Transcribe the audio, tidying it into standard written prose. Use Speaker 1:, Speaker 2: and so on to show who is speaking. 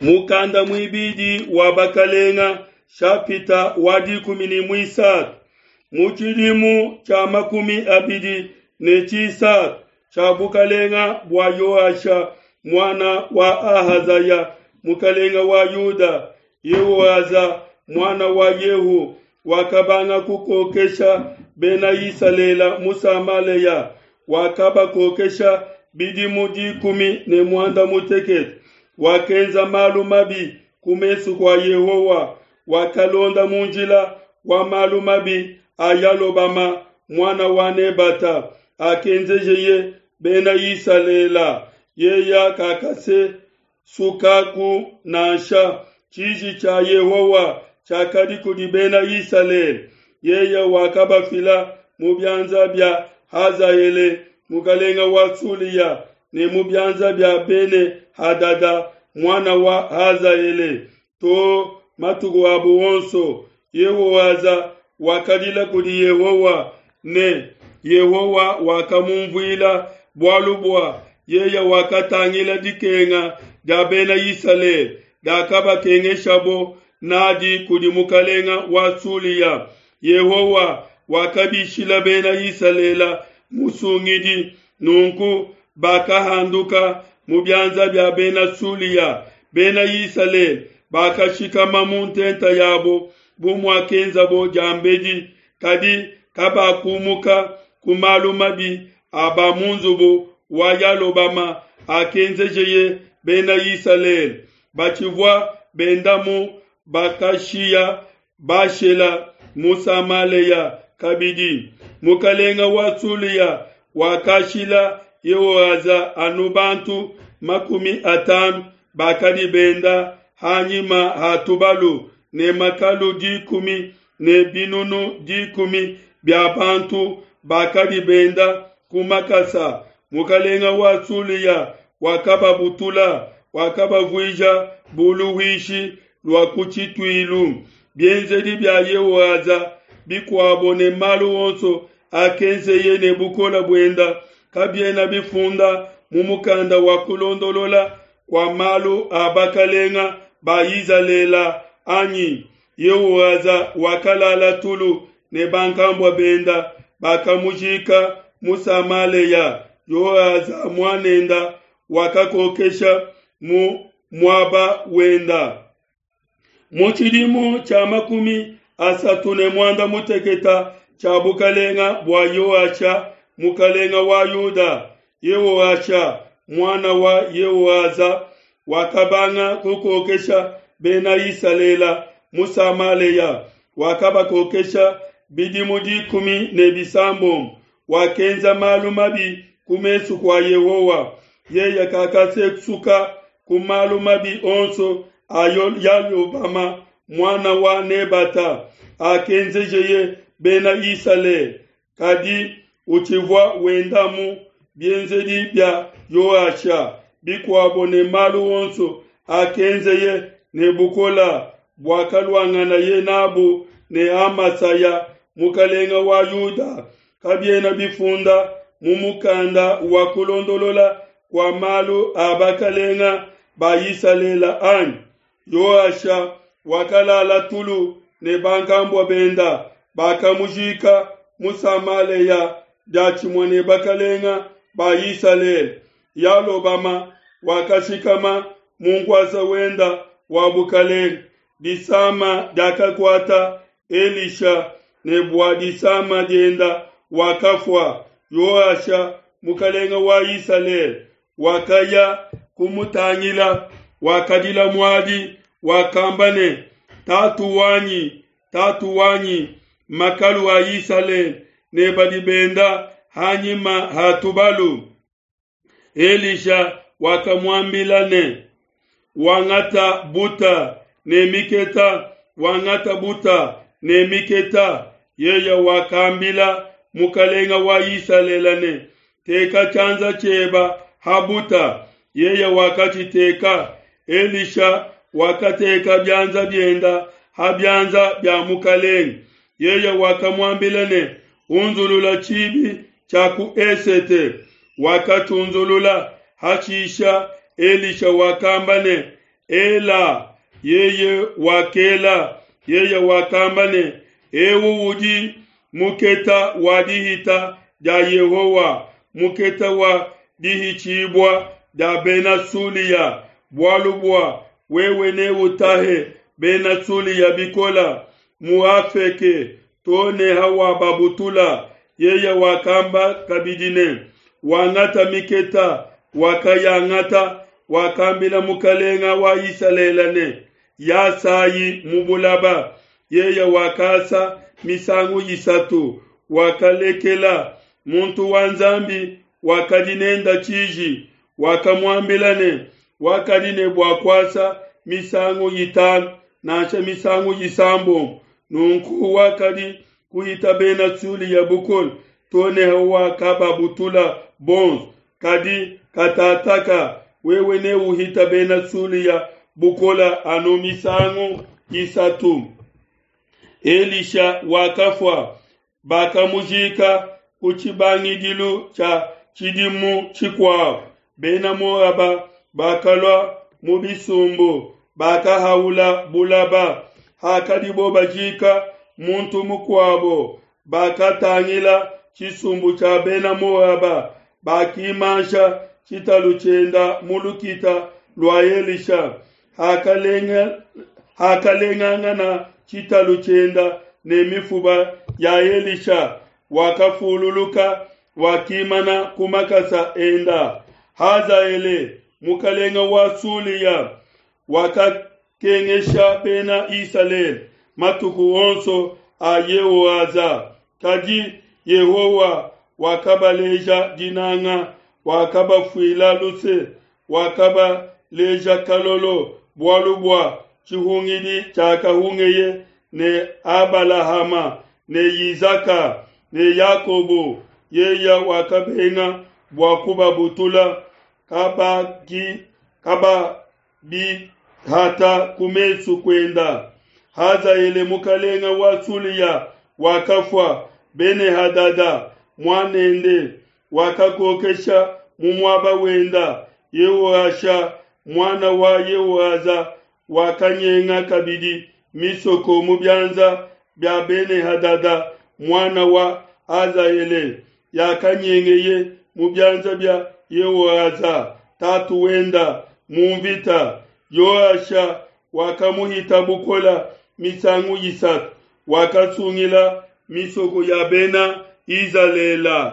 Speaker 1: Mukanda muibidi wa Bakalenga, shapita wa 13. Mu tshidimu tshia 23 tshia bukalenga bua Yoasha muana wa Ahazaya mukalenga wa Yuda, Yehoaza muana wa Yehu wakabanga kukokesha bena Isalele mu Samalea, wakabakokesha bidimu 18. Wakenza malu mabi ku mesu kua Yehowa, wakalonda mu njila wa malu mabi a Yalobama muana wa Nebata, akenzejeye bena Isalele. Yeya kakasesukaku nansha. Tshiji tshia Yehowa tshiakadi kudi bena Isalele. Yeye wakabafila mu bianza bia Hazaele mukalenga wa Sulia ne mu bianza bia Bene Hadada muana wa Hazaele to matuku abu onso. Yehoaza wakadila kudi Yehowa ne Yehowa wakamumvuila, bualu bua yeye wakatangila dikenga dia bena Isalele diakabakengeshabo nadi kudi mukalenga wa Sulia. Yehowa wakabishila bena Isalele musungidi, nunku bakahanduka mu bianza bia bena Sulia. Bena Isalele bakashikama mu ntenta yabo bu muakenzabo diambedi, kadi kabakumuka ku malu mabi a ba mu nzubu wa Yalobama akenzejeye bena Isalele. Batshivua bendamu bakashiya Bashela mu Samalea kabidi. Mukalenga wa Sulia wakashila Yehoaza anu bantu 50 bakadi benda hanyima ha tubalu ne makalu 10 ne binunu 10 bia bantu bakadi benda ku makasa. Mukalenga wa Sulia wakababutula, wakabavuija bu luhuishi lua ku tshituilu. Bienzedi bia Yehoaza bikuabo ne malu onso akenzeye ne bukole buenda kabiena bifunda mu mukanda wa kulondolola kua malu a bakalenga ba Izalele anyi? Yehoaza wakalala tulu ne bankambua benda, bakamujika mu Samalea. Yoaza muanenda wakakokesha mu muaba wenda. Mu tshidimu tshia 36 tshia bukalenga bua Yoasha mukalenga wa Yuda, Yehoasha muana wa Yehoaza wakabanga kukokesha bena Isalele mu Samalea, wakabakokesha bidimu 16. Wakenza malu mabi ku mesu kua Yehowa. Yeye kakasesuka ku malu mabi onso a Yalobama muana wa Nebata akenzejeye bena Isalele, kadi utshivua wenda mu bienzedi bia Yoasha bikuabo ne malu onso akenzeye ne bukola buakaluanganaye nabu ne Amasaya mukalenga wa Yuda kabiena bifunda mu mukanda wa kulondolola kua malu a bakalenga ba Isalele anyi? Yoasha wakalala tulu ne bankambua benda, bakamujika mu Samalea diatshimue ne bakalenga ba Isalele. Yalobama wakashikama mu nkuasa wenda wa bukalenga. Disama diakakuata Elisha ne bua disama dienda wakafua. Yoasha mukalenga wa Isalele wakaya kumutangila, wakadila muadi, wakamba ne, Tatu wanyi, tatu wanyi, makalu a Isalele ne badi benda hanyima ha tubalu. Elisha wakamuambila ne, Wangata buta ne miketa, wangata buta ne miketa. Yeye wakambila mukalenga wa Isalele ne, Teka tshianza tshieba ha buta. Yeye wakatshiteka. Elisha wakateka bianza bienda ha bianza bia mukalenga. Yeye wakamuambila ne, Unzulula tshibi tshia ku esete. Wakatshiunzulula. Hashisha Elisha wakamba ne, Ela. Yeye wakela. Yeye wakamba ne, Eu udi muketa wa dihita dia Yehowa, muketa wa dihitshibua dia Bena Sulia, bualu bua wewe neutahe Bena Sulia bikola mu Afeke to ne hawababutula. Yeye wakamba kabidi ne, Wangata miketa. Wakayangata, wakambila mukalenga wa Isalele ne, Yasayi mu bulaba. Yeye wakasa misangu isatu, wakalekela. Muntu wa Nzambi wakadi nenda tshiji, wakamuambila ne, wakadi ne bua kuasa misangu itanu nansha misangu isambombo, nunku wakadi kuhita Bena Sulia bukole to ne hawakababutula bonso. Kadi katataka wewe neuhita Bena Sulia bukole anu misangu isatu. Elisha wakafua, bakamujika ku tshibangidilu tshia tshidimu tshikuabo. Bena Moaba bakalua mu bisumbu, bakahaula bulaba. Hakadibo bajika muntu mukuabo, bakatangila tshisumbu tshia Bena Moaba, bakimansha tshitalu tshienda mu lukita lua Elisha. Hakalengangana tshitalu tshienda ne mifuba ya Elisha, wakafululuka, wakimana ku makasa enda. Hazaele mukalenga wa Sulia wakakengesha Bena Isalele matuku onso a Yehoaza. Kadi Yehowa wakabaleja dinanga, wakabafuila luse, wakabaleja kalolo, bualu bua tshihungidi tshiakahungeye ne Abalahama ne Izaka ne Yakobo. Yeye wakabenga bua kubabutula, kababihata ku mesu kuenda. Hazaele mukalenga wa Sulia wakafua. Bene-Hadada muanende wakakokesha mu muaba wenda. Yehoasha muana wa Yehoaza wakanyenga kabidi misoko mu bianza bia Bene-Hadada muana wa Hazaele, yakanyengeye mu bianza bia Yehoaza tatu wenda mu mvita. Yoasha wakamuhita bukola misangu isatu, wakasungila misoko ya Bena Izalele.